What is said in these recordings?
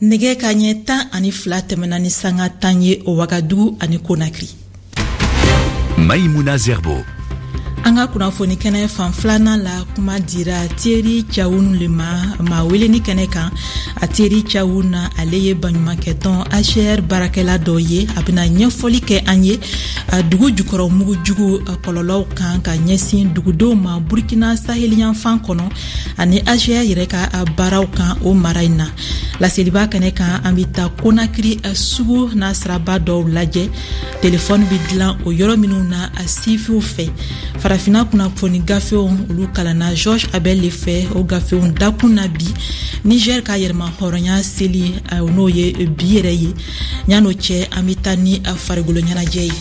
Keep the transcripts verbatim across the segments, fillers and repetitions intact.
Nɛgɛ ka ɲɛ tan ani fila tɛmɛna ni sanga tan ye o Wagadugu ani Konakiri. Maïmouna Zerbo. An ka kunnafoni kɛnɛ fan filanan la, kuma dira Thierry Thiaoune le ma, maa weleni kɛnɛ kan. A Thierry Thiaoune, ale ye baɲumankɛtɔn H C R baarakɛla dɔ ye. A bɛna ɲɛfɔli kɛ an ye dugu jukɔrɔ mugujugu kɔlɔlɔw kan ka ɲɛsin dugudenw ma Burkina saheliyanfan kɔnɔ, ani H C R yɛrɛ ka baaraw kan o mara in na. Laseliba kɛnɛ kan, an bɛ taa Konakiri sugu n'a siraba dɔw lajɛ, telefɔni bɛ dilan o yɔrɔ minnu na a sifiw fɛ. Farafina kunnafoni gafew, olu kalanna George Abel le fɛ. O gafew dakun na bi, Niger ka yɛrɛma hɔrɔnya seli, n'o ye bi yɛrɛ ye. Yan'o cɛ, an bɛ taa ni farikolo ɲɛnajɛ ye.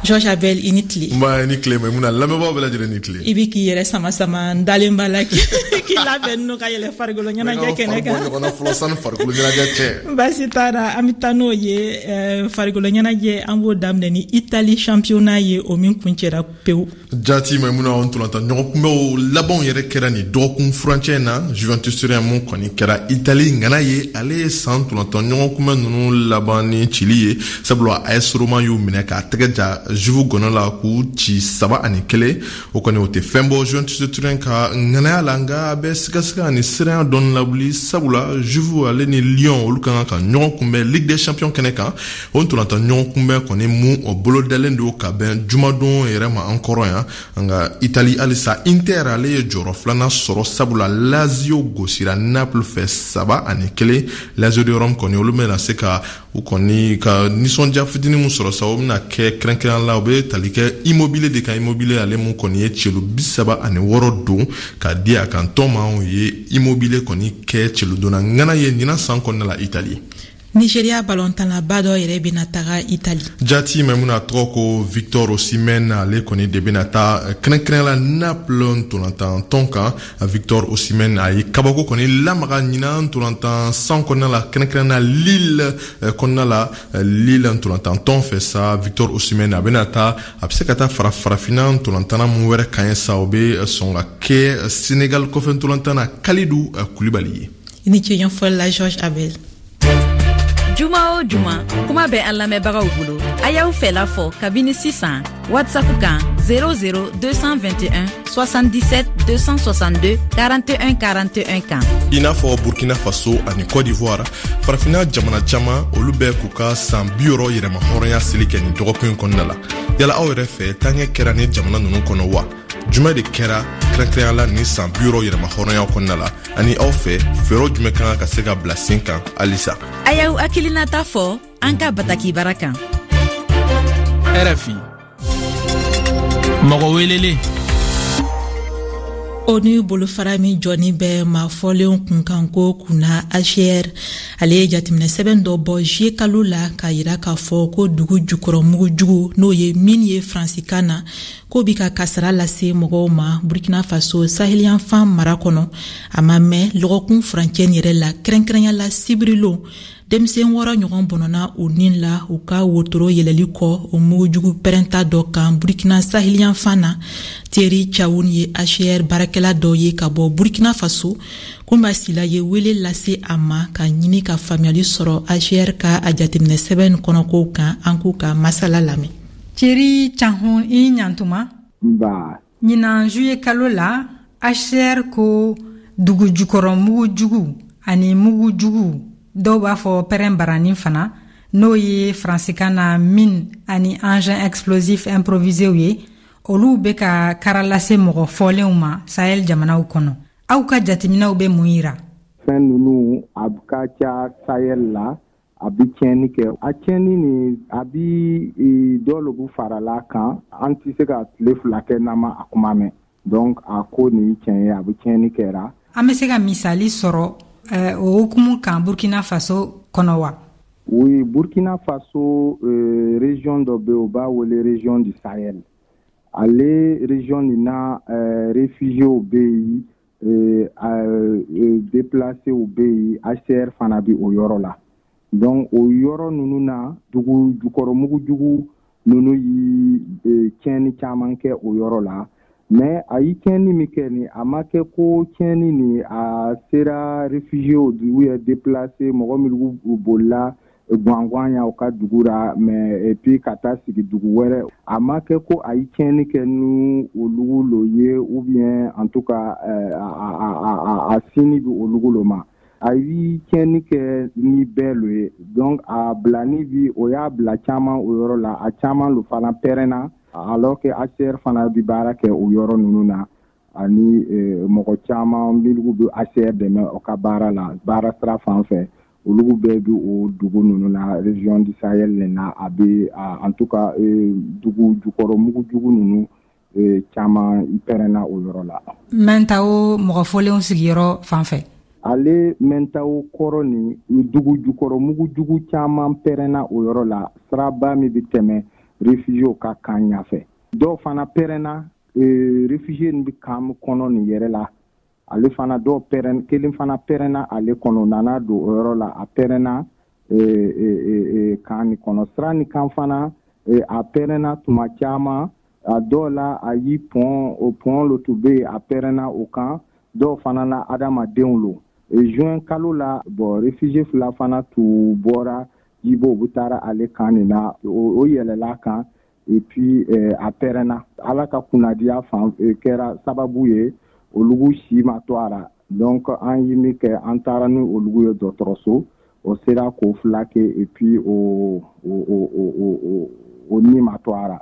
George Abel, i ni tile. Nba, i ni tile Maimuna, lamɛnbaaw bɛɛ lajɛlen ni tile. I bi k'i yɛrɛ sama sama, n dalen b'a la k'i labɛn n'o ka yɛlɛ farikolo ɲɛnajɛ kɛnɛ kan. Bɔ ɲɔgɔn na fɔlɔ sani farikolo ɲɛnajɛ cɛ. Baasi t'a la, an bɛ taa n'o ye. Farikolo ɲɛnajɛ, an b'o daminɛ ni Italie championnat ye, o min kuncɛra pewu. Jaati Maimuna, o ntolantan ɲɔgɔn kunbɛnw labanw yɛrɛ kɛra nin dɔgɔkun furancɛ in na. Juventus Turin mun kɔni kɛra Italie ŋana ye, ale ye san ntolantan ɲɔgɔn kunbɛn ninnu laban ni cili ye, sabula A S Roma y'u minɛ k'a tɛgɛ ja Juve gɔnɔ la k'u ci saba ani kelen. O kɔni, o tɛ fɛn bɔ Juventus Turin ka ŋanaya la, nka a bɛ sigasiga ani siranya dɔɔni lawuli, sabula Juve ale ni Lyon, olu ka kan ka ɲɔgɔn kunbɛn Ligue des Champions kɛnɛ kan. O ntolantan ɲɔgɔn kunbɛn kɔni mun, o bolodalen don ka bɛn jumadon yɛrɛ ma an kɔrɔ yan. Nka Italie halisa, Inter ale ye jɔyɔrɔ filanan sɔrɔ, sabula Lazio gosira Naples fɛ saba ani kelen. Lazio de Rome kɔni, olu bɛna se ka u kɔni ka nisɔndiya fitinin mun sɔrɔ sa, o bɛna kɛ kɛrɛnkɛrɛn la, o bɛ tali kɛ Immobile de kan. Immobile ale mun kɔni ye celu bi saba ani wɔɔrɔ don ka di a kan tɔn ma, o ye Immobile kɔni kɛ celudonna ŋana ye ɲinan san kɔnɔna la Italie. Nigeria balontanlaba dɔ yɛrɛ bɛna taga Itali. Jati Maimuna, tɔgɔ ko Victor Osimhen, ale kɔni de bɛna taa kɛrɛnkɛrɛn la Naples ntolantan tɔn kan. Victor Osimhen, a ye kabako kɔni lamaga ɲinan ntolantan san kɔnɔna la, kɛrɛnkɛrɛn na Lille kɔnɔna la, Lille ntolantan tɔn fɛ sa. Victor Osimhen, a bɛna taa, a bɛ se ka taa fara farafinna ntolantanna mun wɛrɛ kan ye sa, o bɛ sɔn ka kɛ Sénégal kɔfɛ ntolantan na Kalidou Koulibaly ye. I ni ce ɲɛfɔli la, George Abel. Juma o juma, kuma bɛ an lamɛnbagaw bolo. A y'aw fɛla fɔ kabini sisan WhatsApp kan zéro zéro deux cent vingt et un soixante-dix-sept deux cent soixante-deux quarante et un quarante et un kan. I n'a fɔ Burkina Faso ani Côte d'Ivoire, farafinna jamana caman, olu bɛ k'u ka san bi wɔɔrɔ yɛrɛma hɔrɔnya seli kɛ nin dɔgɔkun in kɔnɔna la. Yala aw yɛrɛ fɛ, taaɲɛ kɛra ni jamana ninnu kɔnɔ wa? Jumɛn de kɛra kɛrɛnkɛrɛnya la nin san bi wɔɔrɔ yɛrɛma hɔrɔnya kɔnɔna la? Ani aw fɛ, fɛɛrɛw jumɛn kan ka se ka bila sen kan halisa? A y'aw hakilinata fɔ an ka batakibara kan. R F I, mɔgɔ welelen. ONU bolofara min jɔni bɛ maa fɔlenw kunkanko kunna, H C R, ale ye jateminɛ sɛbɛn dɔ bɔ juillet kalo la k'a yira k'a fɔ ko dugu jukɔrɔ mugujugu, n'o ye mine ye faransikan na, k'o bi ka kasara lase mɔgɔw ma Burkina Faso saheliyanfan mara kɔnɔ. A ma mɛn lɔgɔkun furancɛ nin yɛrɛ la, kɛrɛnkɛrɛnya la sibirilon, denmisɛn wɔɔrɔ ɲɔgɔn bɔnɔna u nin la u ka wotoro yɛlɛli kɔ o mugujugu pɛrɛnta dɔ kan Burkina saheliyanfan na. Thierry Thiaoune ye H C R baarakɛla dɔ ye ka bɔ Burkina Faso. Kunba Sila ye wele lase a ma ka ɲini ka faamuyali sɔrɔ H C R ka a jateminɛ sɛbɛn kɔnɔkow kan. An k'u ka masala lamɛn. Thierry Thiaoune, i ɲantuma. Nba. Ɲinan juillet kalo la, H C R ko dugu jukɔrɔ mugujugu ani mugujugu, dɔw b'a fɔ pɛrɛn barani fana, n'o ye faransikan na mine ani engin explosif improviséw ye, olu bɛ ka kara lase mɔgɔ fɔlenw ma Sahel jamanaw kɔnɔ. Aw ka jateminɛw bɛ mun yira? Fɛn ninnu a ka ca Sahel la, a bi tiɲɛni kɛ. A tiɲɛni nin, a bi dɔ lobu farala kan, an tɛ se ka tile fila kɛ n'an ma a kuma mɛn. Donc a ko nin tiɲɛ ye, a bɛ tiɲɛni kɛra. An bɛ se ka misali sɔrɔ o hukumu kan Burkina Faso kɔnɔ wa? Oui, Burkina Faso, euh, région dɔ bɛ yen, u b'a wele région du Sahel. Ale région nin na, euh, réfugiés bɛ yen, euh, euh, déplacés bɛ yen, H C R fana bɛ o yɔrɔ la. Donc o yɔrɔ ninnu na, dugu jukɔrɔ mugujugu ninnu yi tiɲɛni caman kɛ o yɔrɔ la. Mais a ye tiɲɛni min kɛ nin, a ma kɛ ko tiɲɛni nin a sera réfugiés ou bien déplacés, mɔgɔ minnu bolila gwangwan ya u ka dugu ra, mais et puis ka taa sigi dugu wɛrɛ. A ma kɛ ko a ye tiɲɛni kɛ ni olugu lo ye, ou bien en tout cas a, a, a, a sini bi olugu lo ma. A ye tiɲɛni kɛ ni bɛɛ lo ye. Donc a bilani bi, o y'a bila caman o yɔrɔ la, a caman lo fana pɛrɛnna, alors que H C R fana bi baara kɛ o yɔrɔ ninnu na, ani mɔgɔ caman minnu bɛ H C R dɛmɛ o ka baara la, baara sira fan fɛ, olu bɛɛ bi o dugu ninnu na, région du Sahel nin na. A bɛ, en tout cas, dugu jukɔrɔ mugujugu ninnu caman pɛrɛnna o yɔrɔ la. Mɛntawo mɔgɔ fɔlenw sigiyɔrɔ fan fɛ. Ale Mɛntawo kɔrɔ nin, dugu jukɔrɔ mugujugu caman pɛrɛnna o yɔrɔ la, siraba min bɛ tɛmɛ réfugiés ka kan ɲɛfɛ. Dɔw fana pɛrɛnna réfugiés bɛ kan kɔnɔ nin yɛrɛ la. Ale fana dɔw pɛrɛn, kelen fana pɛrɛnna ale kɔnɔ, nana don o yɔrɔ la, a pɛrɛnna kan nin kɔnɔ. Sira nin kan fana, a pɛrɛnna tuma caman. A dɔw la, a y'i pɔn, o pɔn lo tun bɛ yen, a pɛrɛnna o kan. Dɔw fana la, adamadenw lo. Juin kalo la, bon, réfugié fila fana tun bɔra Jibo, u taara ale kan nin na, o yɛlɛla kan, et puis a pɛrɛnna. Ala ka kunnadiya fan kɛra sababu ye, olugu si ma to a la. Donc an ye min kɛ, an taara ni olugu ye dɔgɔtɔrɔso, o sera k'o fila kɛ, et puis o o o o o ni ma to a la.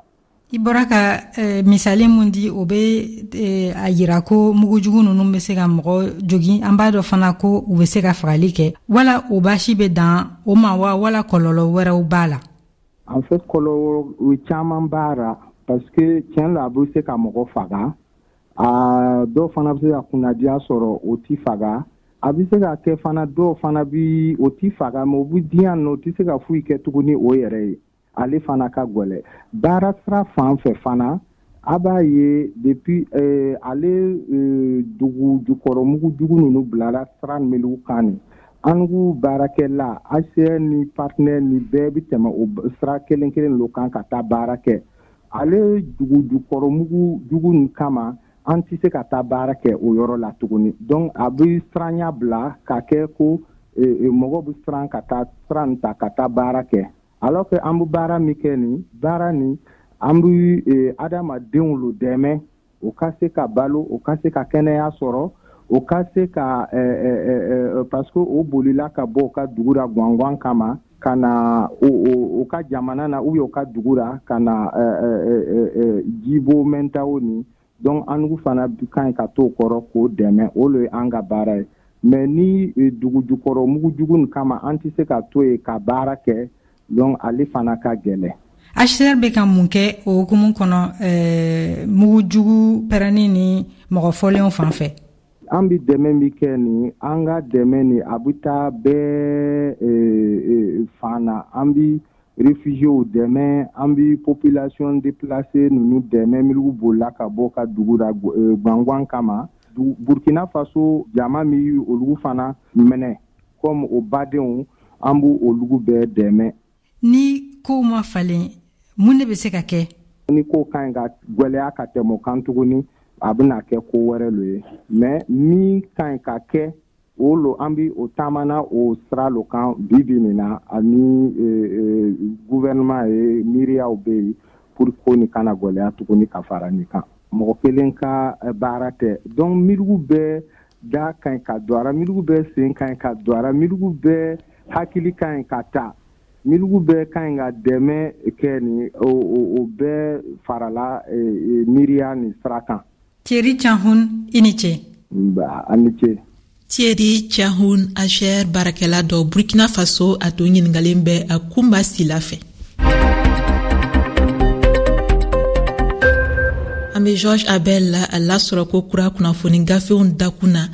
I bɔra ka eh, misali mun di, o bɛ eh, a yira ko mugujugu ninnu bɛ se ka mɔgɔ jogin. An b'a dɔn fana ko u bɛ se ka fagali kɛ. Wala o baasi bɛ dan o ma wa, wala kɔlɔlɔ wɛrɛw b'a la? En fait, kɔlɔlɔ caman b'a la, parce que tiɲɛ la, a bɛ se ka mɔgɔ faga. A dɔw fana bɛ se ka kunnadiya sɔrɔ, o ti faga. A bɛ se ka kɛ fana, dɔw fana bi o ti faga, mais o bɛ diyan nɔ, o tɛ se ka foyi kɛ tuguni o yɛrɛ ye. Ale fana ka gwɛlɛ. Baara sira fan fɛ fana, a b'a ye depuis euh, ale euh, dugu jukɔrɔ mugujugu ninnu bilara sira minnu kan nin, an k'u baarakɛla H C R ni partenaire ni bɛɛ bɛ tɛmɛ o sira kelen kelen lo kan ka taa baara kɛ. Ale dugu jukɔrɔ mugujugu nin kama, an tɛ se ka taa baara kɛ o yɔrɔ la tuguni. Donc a bɛ siranya bila ka kɛ ko mɔgɔ bɛ siran ka taa sira nin ta ka taa baara kɛ, alors que an bɛ baara min kɛ nin, baara nin, an bɛ adamadenw lo dɛmɛ, o ka se ka balo, o ka se ka kɛnɛya sɔrɔ, o ka se ka, parce que o bolila ka bɔ o ka dugu la gwangwan kama ka na o o ka jamana na, ou bien o ka dugu la ka na Jibo Mɛntawo nin. Donc an fana ka ɲi ka t'o kɔrɔ k'o dɛmɛ, o le ye an ka baara ye. Mais ni dugu jukɔrɔ mugujugu nin kama, an tɛ se ka to yen ka baara kɛ, donc ale fana ka gɛlɛn. H C R bɛ ka mun kɛ o hukumu kɔnɔ, ɛɛ mugujugu pɛrɛnni ni mɔgɔ fɔlenw fan fɛ? An bɛ dɛmɛ min kɛ nin, an ka dɛmɛ nin, a bɛ taa bɛɛ fan na. An bɛ réfugiés dɛmɛ, an bɛ population déplacée ninnu dɛmɛ, minnu bolila ka bɔ ka dugu la gwangwan kama. Burkina Faso jama min olu fana minɛ comme o badenw, an b'u olu bɛɛ dɛmɛ. Ni kow ma falen, mun de bɛ se ka kɛ? Ni ko ka ɲi ka gwɛlɛya ka tɛmɛ o kan tuguni, a bɛna kɛ ko wɛrɛ lo ye. Mais min ka ɲi ka kɛ, o lo an bi o taamana o sira lo kan bi bi nin na, ani gouvernement ye miiriyaw bɛ yen pour ko nin kana gwɛlɛya tuguni ka fara nin kan. Mɔgɔ kelen ka baara tɛ. Donc miirigu bɛɛ da ka ɲi ka don a la, miirigu bɛɛ sen ka ɲi ka don a la, miirigu bɛɛ hakili ka ɲi ka ta, miirigu bɛɛ ka ɲi ka dɛmɛ kɛ nin, o o bɛɛ farala miiriya nin sira kan. Thierry Tchahoun, i ni ce. Nba, a ni ce. Thierry Tchahoun, H C R baarakɛla dɔ Burkina Faso, a tun ɲiningalen bɛ a Kunba Sila fɛ. An bɛ George Abel a lasɔrɔ ko kura kunnafoni gafew dakun na.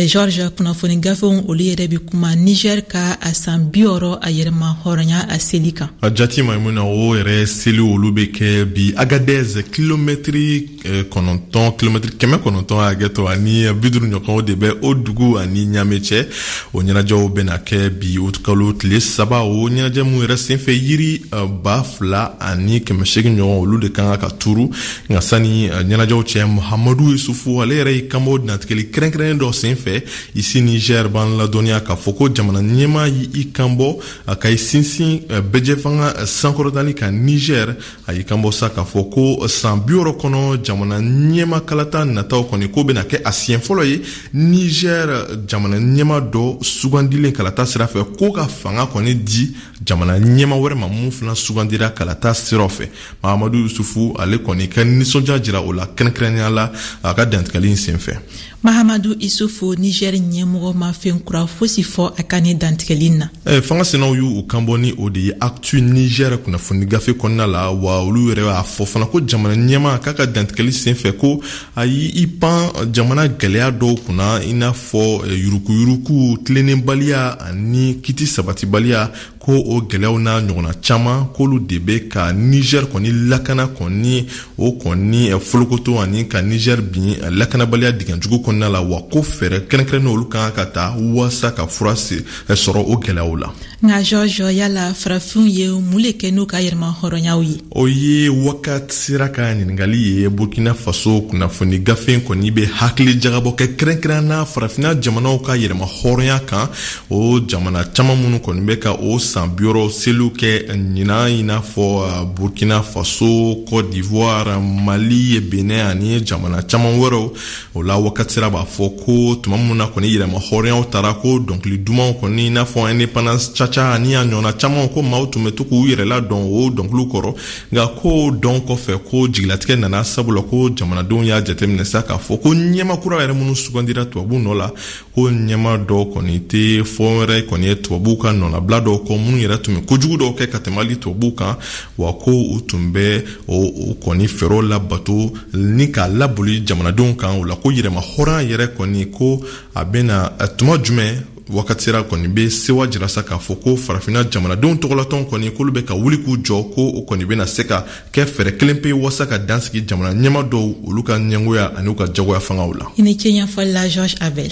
George, kunnafoni gafew olu yɛrɛ bɛ kuma Niger ka a san bi wɔɔrɔ a yɛrɛma hɔrɔnya a seli kan. A jati Maimuna, o yɛrɛ seli olu bɛ kɛ bi Agadez, kilomɛtiri kɔnɔntɔn, kilomɛtiri kɛmɛ kɔnɔntɔn hakɛ to ani bi duuru ɲɔgɔn, o de bɛ o dugu ani Ɲame cɛ. O ɲɛnajɛw bɛna kɛ bi kalo tile saba. O ɲɛnajɛ mun yɛrɛ senfɛ, yiri ba fila ani kɛmɛ seegin ɲɔgɔn, olu de kan ka turu. Nka sani ni ɲɛnajɛw cɛ Mahamadu Yusufu, ale yɛrɛ y'i kanbɔ dantigɛli kɛrɛnkɛrɛnnen dɔ sen fɛ ici Niger b'an ladɔnniya k'a fɔ ko jamana ɲɛmaa y'i kanbɔ ka i sinsin bɛjɛfanga sankɔrɔtali kan Niger. A y'i kanbɔ sa k'a fɔ ko san bi wɔɔrɔ kɔnɔ jamana ɲɛma kalata nataw kɔni ko bɛna kɛ a siɲɛ fɔlɔ ye Niger jamana ɲɛma dɔ sugandilen kalata sira fɛ ko ka fanga kɔni di jamana ɲɛma wɛrɛ ma mun fana sugandira kalata siraw fɛ. Mahamadu Yusufu ale kɔni ka nisɔndiya jira o la kɛrɛnkɛrɛnnenya la a ka dantigɛli in sen fɛ. Mahamadu Isufu, Niger ɲɛmɔgɔ ma fɛn kura fosi fɔ a ka ni dantigɛli na. Eh, fanga sinaw y'u kanbɔ ni o de ye Actu Niger kunnafoni gafe kɔnɔna la, wa olu yɛrɛ y'a fɔ fana ko jamana ɲɛma k'a ka dantigɛli sen fɛ ko a y'i pan jamana gɛlɛya dɔw kunna, i n'a fɔ yurukuyuruku, tilennenbaliya ani kiti sabatibaliya, ko o gɛlɛyaw n'a ɲɔgɔnna caman k'olu de bɛ ka Niger kɔni lakana kɔni o kɔni folokoto ani ka Niger bin lakanabaliya dingɛjugu kɔnɔna la, wa ko fɛɛrɛ kɛrɛnkɛrɛnnen olu kan ka ta walasa ka fura sɔrɔ o gɛlɛyaw la. Nka George, yala farafinw ye mun le kɛ n'u ka yɛrɛma hɔrɔnyaw ye? O ye wakati sera ka ɲininkali ye. Burkina Faso kunnafoni gafe kɔni bɛ hakili jagabɔ kɛ kɛrɛnkɛrɛn na farafinna jamanaw ka yɛrɛma hɔrɔnya kan, o jamana caman minnu kɔni bɛ ka o san bi wɔɔrɔ seliw kɛ ɲinan, i n'a fɔ Burkina Faso, Côte d'Ivoire, Mali, Benin ani jamana caman wɛrɛw. O la wakati sera b'a fɔ ko tuma min na kɔni yɛrɛma hɔrɔnyaw taara, ko dɔnkili dumanw kɔni i n'a fɔ indépendance caca ani a ɲɔgɔnna caman, ko maaw tun bɛ to k'u yɛrɛ ladɔn o dɔnkiliw kɔrɔ. Nka ko dɔn kɔfɛ ko jigilatigɛ nana, sabula ko jamanadenw y'a jateminɛ sa k'a fɔ ko ɲɛma kura yɛrɛ minnu sugandira tubabuw nɔ la, ko ɲɛma dɔw kɔni tɛ fɔ wɛrɛ kɔni ye tubabuw ka nɔnabila dɔw kɔ, minnu yɛrɛ tun bɛ kojugu dɔw kɛ ka tɛmɛ hali tubabuw kan, wa ko u tun bɛ o kɔni fɛɛrɛw labato ni k'a laboli jamanadenw kan. O la ko yɛrɛma hɔrɔnya yɛrɛ kɔni ko a bɛna tuma jumɛn wakati sera kɔni bɛ sewa jira sa k'a fɔ ko farafinna jamanadenw tɔgɔlatɔn kɔni k'olu bɛ ka wuli k'u jɔ, ko o kɔni bɛna se ka kɛ fɛɛrɛ kelen pe walasa ka dan sigi jamana ɲɛma dɔw olu ka ɲɛngoya ani u ka jagoya fangaw la. I ni ce ɲɛfɔli la George Abel.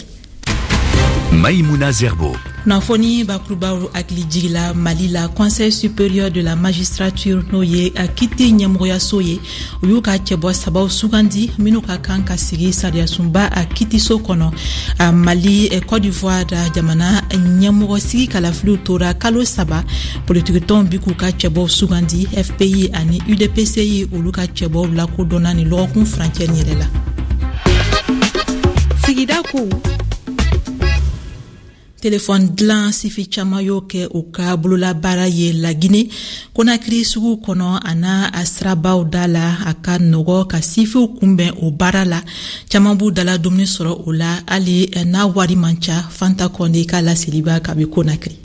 Maïmouna Zerbo. Kunnafoni bakurubaw hakili jigila Mali la, Conseil supérieur de la magistrature n'o ye a kiti ɲɛmɔgɔyaso ye, u y'u ka cɛbɔ sabaw sugandi minnu ka kan ka sigi sariyasunba a kitiso kɔnɔ. A Mali, Côte d'Ivoire jamana ɲɛmɔgɔ sigi kalafiliw tora kalo saba, politikitɔnw bi k'u ka cɛbɔw sugandi. F P I ani U D P C I olu ka cɛbɔw lakodɔnna ni lɔgɔkun furancɛ nin yɛrɛ la. Sigida kow. Telefɔni dilan sifi caman y'o kɛ u ka bololabaara ye Lagine Konakiri sugu kɔnɔ a n'a a sirabaw da la. A ka nɔgɔ ka sifiw kunbɛn o baara la, caman b'u dala dumuni sɔrɔ o la hali n'a wari man ca. Fanta Kɔnde ka laseliba kabi Konakiri.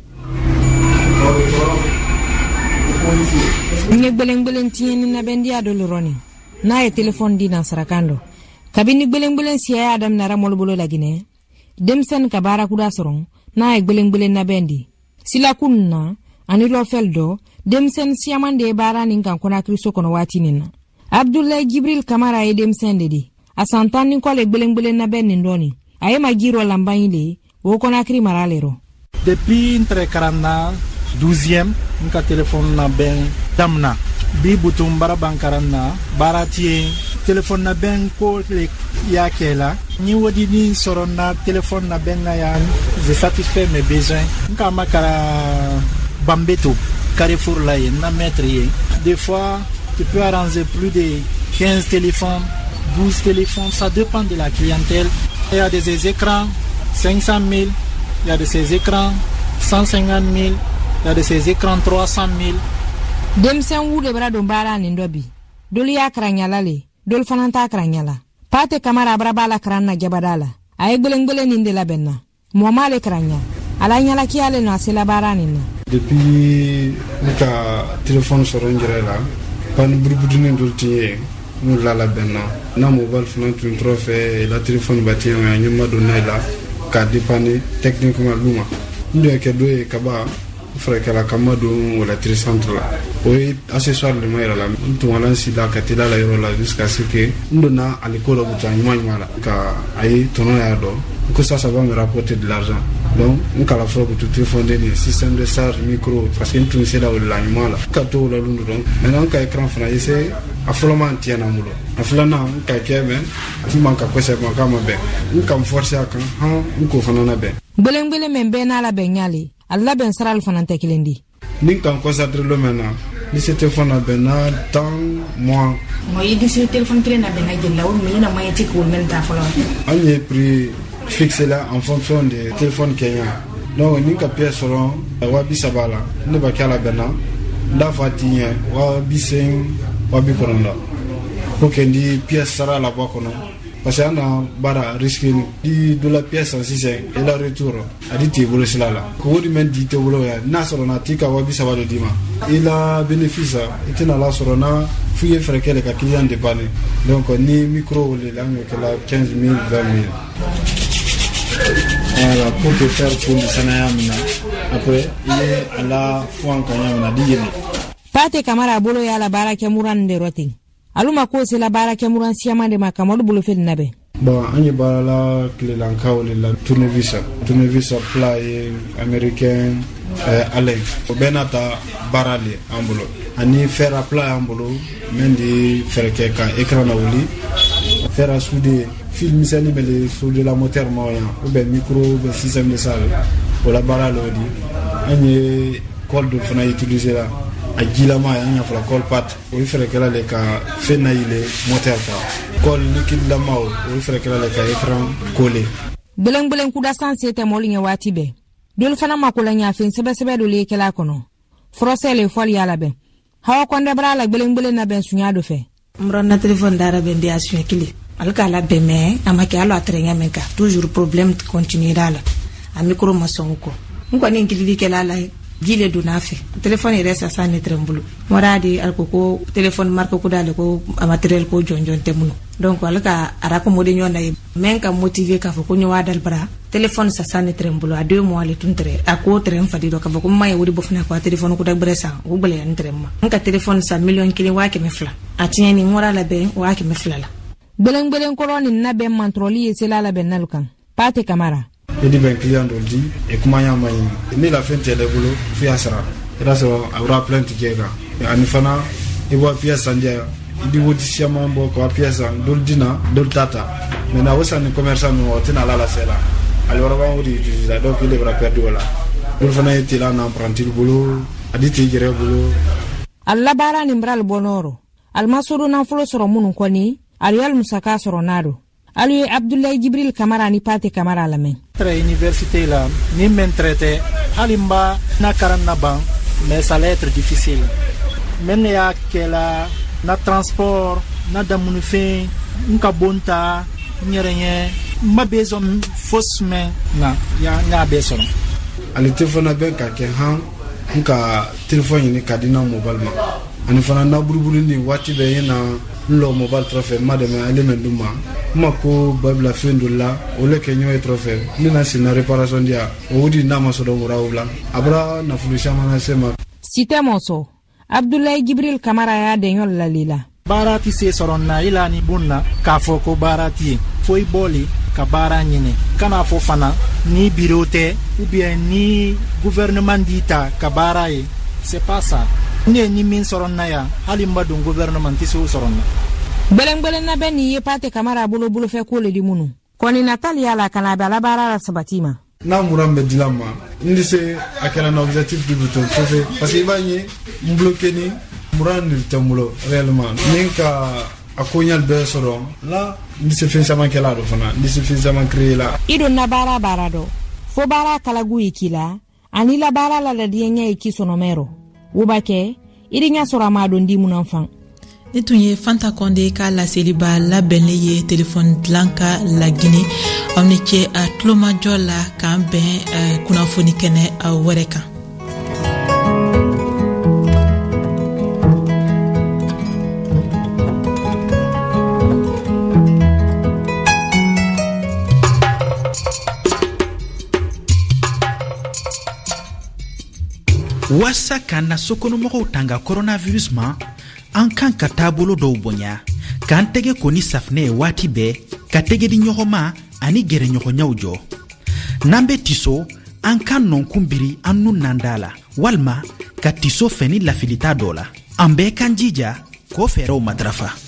N ye gbelengbelen tiɲɛni nabɛndiya dɔ lɔrɔni n'a ye telefɔni di nansarakan dɔ. Kabini gbelengbelen siya y'a daminɛra mɔlu bolo Laginɛ, denmisɛnnin ka baara kura sɔrɔ n'a ye gbelengbelen nabɛn di silakun na ani lɔfɛl dɔ, denmisɛnnin siyaman de ye baara nin kan Konakiriso kɔnɔ waati nin na. Abdulayi Jibril Kamara ye denmisɛn de di, a san tan ni kɔ le gbelengbelen nabɛn nin dɔɔni. A ye majirɔ lanbanyi le o Konakiri mara le rɔ. Depuis n tɛrɛ karan na douzième, n ka telefɔni nabɛn damina. Bi butun baara ban karan na, baara ti yen. Telefɔni nabɛn ko le y'a kɛ la. Ni wodini sɔrɔ na telefɔni nabɛn na yan, je satisfait mes besoins. N ka makara Bambeto, Carrefour la yen, na maître yen. Des fois, tu peux arranger plus de quinze téléphones, douze téléphones, ça dépend de la clientèle. Il y a des écrans cinq cent mille, il y a de ces écrans cent cinquante mille, il y a de ces écrans trois cent mille. Denmisɛn wu de bara don baara nin dɔ bi. Dolu y'a karan ɲala le, dolu fana t'a karan ɲala. Pate Kamara bara b'a la karan na jabada la. A ye gbelengbelen nin de labɛn na. Mɔgɔ m'ale karan ɲa. A la ɲalakiya le nɔ a sela baara nin na. Depuis ne ka telefɔni sɔrɔ n yɛrɛ la, panne burubudinin dɔ tun ye n'u la labɛn na. N'a mobile fana tun tɔrɔ fɛ, la telefɔni ba tiɲɛ a ɲɛ ma don n'a la k'a dépanner techniquement lu ma. N dun ye kɛ dɔ ye kaba furakɛla kama don o la centre la. O ye accessoire de ma yɛrɛ la. N tun ka si la ka teliya la yɔrɔ la jusqu'à ce que n donna ale ko dɔ buta ɲuman ɲuman la ka a ye tɔnɔ y'a dɔn. Que ça, ça va me rapporter de l'argent. Donc, n kala fɔlɔ ko téléphone de système de charge micro parce que n tun sera o la ɲuman la ka to o la lun dɔrɔn. Maintenant n ka écran fana essayer a fɔlɔ man tiɲɛna n bolo, a filanan n ka kɛ mais a ti man ka kosɛbɛ k'a ma bɛn, n ka n forcer a kan han n k'o fana labɛn. Gbelengbelen min bɛɛ n'a labɛn ɲale a labɛn sirali fana tɛ kelen di. Ni n ka n concentrer lo mɛn na ni se téléphone labɛn na tan mois. Mɔ i disi téléphone kelen labɛn na jeli la o min na moyen ti k'o mɛn ta fɔlɔ. An ye prix fixé là en fonction de téléphone kenya. Donc ni ka pièce sɔrɔ wa bi saba la ne b'a kɛ a labɛn na n t'a fɔ a ti ɲɛ wa bi seegin wa bi kɔnɔntɔn pour que n di pièce sara la bɔ a kɔnɔ parce que an na baara risque ni di dɔ la pièce san sisan i la retour a di t'i bolo sira la ko o de mɛn di tɛ bolo ya n'a sɔrɔ na t'i ka wa bi saba de d'i ma i la bénéfice i tɛna la sɔrɔ na f'i ye fɛɛrɛ kɛ de ka client dépanner. Donc ni micro o de la an y'o kɛ la quinze mille vingt mille. Voilà, pour te faire pour sanaya mina après il est à la fois en kanya mina di yele. Pate Kamara bolo ya la baara kɛ muran de rotin aluma ko se la baara kɛ muran siyama de ma Kamaru bolo fel nabe. Bon an ye baara la tilelankaw de la tournevis tournevis plat ye américain euh, Allen o bɛɛ n'a ta baara le an bolo ani fer à plat y'an bolo min di fɛɛrɛ kɛ ka écran na wuli fer à souder fil misɛnnin bɛ le souder la moteur ma yan ou bien micro ou bien système de salle o la baara le o di. An ye colle dɔ fana utiliser la a jilama an y'a fɔla colle pâte o ye fɛɛrɛ kɛla le ka fɛn na yɛlɛ moteur kan colle liquide lama o ye fɛɛrɛ kɛla le ka écran coller. Gbelen kuda san se tɛ mɔli ɲɛ waati bɛɛ dolu fana mako la ɲafɛn sɛbɛsɛbɛ dɔ le kɛla kɔnɔ furɔsɛ le fɔli y'a labɛn hawa kɔndɛ bara la gbelen labɛn sunya dɔ fɛ. N bɔra na téléphone dara bɛn de a suɲɛ kelen ale k'a labɛn mɛ a ma kɛ hali a tɛrɛ ɲɛ min kan toujours problème continuera la a micro ma sɔn o kɔ n kɔni kilili kɛla la ye ji le donna a fɛ téléphone yɛrɛ sisan ne tɛrɛ n bolo mɔra de ale ko ko téléphone marque ko d'ale ko a matériel ko jɔnjɔn tɛ minnu donc ale ka a racommoder ɲɔgɔn na ye mɛ ka motiver k'a fɔ ko ɲɔ dali bara téléphone sisan ne tɛrɛ n bolo a deux mois le tun tɛrɛ a ko tɛrɛ n fadi dɔ k'a fɔ ko n ma ye o de bɔ fana ko a téléphone ko da gbɛrɛ san o gbɛlɛya n tɛrɛ n ma n ka téléphone san miliyɔn kelen waa kɛmɛ fila a tiɲɛni n wɔra labɛn waa kɛmɛ fila la. Gbelen kɔrɔ nin labɛn mantrɔli ye sela labɛn nalu kan Pate Kamara. I di bɛn client dɔ di e kuma ɲa ma ɲi ne la fɛn tɛ bolo f'i y'a sara i b'a sɔrɔ a bɔra plainte kɛ kan ani fana i bɔ pièce san diya i di wodi siaman bɔ ka pièce san dolu di na dolu t'a ta maintenant o san ni commerçant ninnu o tɛna ala lase la ale wɛrɛ b'an o de utiliser la donc il bɛra perdu o la dolu fana ye tela na apprenti bolo a di t'i yɛrɛ bolo. A labaara nin bara bɔ nɔrɔ alima sodo nafolo sɔrɔ minnu kɔni ali musaka sɔrɔ n'a don. Alu ye Abdoulaye Jibril Kamara ni Pate Kamara lamɛn. Tɛrɛ université la ni mɛn traité hali n ba na karan na ban mais ça allait être difficile. Mɛ ne y'a kɛla na transport na damunifɛn n ka bon ta n yɛrɛ ɲɛ n ma besoin fosi mɛn na ya n y'a bɛɛ sɔrɔ. Ale téléphone bɛ ka kɛ han n ka téléphone ɲini ka di na mobile ma ani fana na buruburu ni waati bɛɛ ye na n lɔ mobile tɔrɔ fɛ n ma dɛmɛ ale mɛ d'u ma n ma ko babila fɛn dɔ la o le kɛ ɲɔgɔn ye tɔrɔ fɛ ne na sen na réparation di yan o di n'a ma sɔrɔ wura o la a bɔra nafolo caman lase ma. Site mɔsɔ Abdoulaye Jibril Kamara y'a dɛɲɔ lali la. Baara ti se sɔrɔ na i la ni bon na k'a fɔ ko baara ti ye fo i bɔli ka baara ɲini kana fɔ fana ni bureau tɛ ou bien ni gouvernement d'i ta ka baara ye c'est pas ça. Ne ni min sɔrɔ na yan hali n ma don gouvernement tɛ se o sɔrɔ na. Gbelen labɛn nin ye Pate Kamara bolo bolofɛ ko le di minnu kɔni natali y'a la ka na a bɛ ala baara la sabati ma. N'a mura bɛ dilan ma n tɛ se a kɛra na objectif du bouton fɔfɛ parce que i b'a ye n bloqué ni mura nin tɛ n bolo réellement ni n ka a ko ɲali bɛɛ sɔrɔ la n tɛ se fɛn caman kɛla dɔ fana n tɛ se fɛn caman créer la. I donna baara baara dɔ fo baara kalagu ye k'i la ani la baara la ladiɲɛ ye k'i sɔnɔmɛrɔ wo b'a kɛ i di ɲɛ sɔrɔ a ma don di mun fan. Ni tun ye Fanta Kɔnde ka laseliba labɛnlen ye telefɔni dilan ka Lagine. Aw ni ce a tulomajɔ la k'an bɛn kunnafoni kɛnɛ wɛrɛ kan. Waasa k'an na sokɔnɔmɔgɔw tanga coronavirus ma, an kan ka taabolo dɔw bonya, k'an tɛgɛ ko ni safinɛ ye waati bɛɛ, ka tɛgɛ di ɲɔgɔn ma ani gɛrɛɲɔgɔnyaw jɔ. N'an be tiso, an ka nɔnkun biri an nun n'an da la, walima ka tiso fɛn ni lafilita dɔ la. An bɛɛ k'an jija k'o fɛɛrɛw matarafa.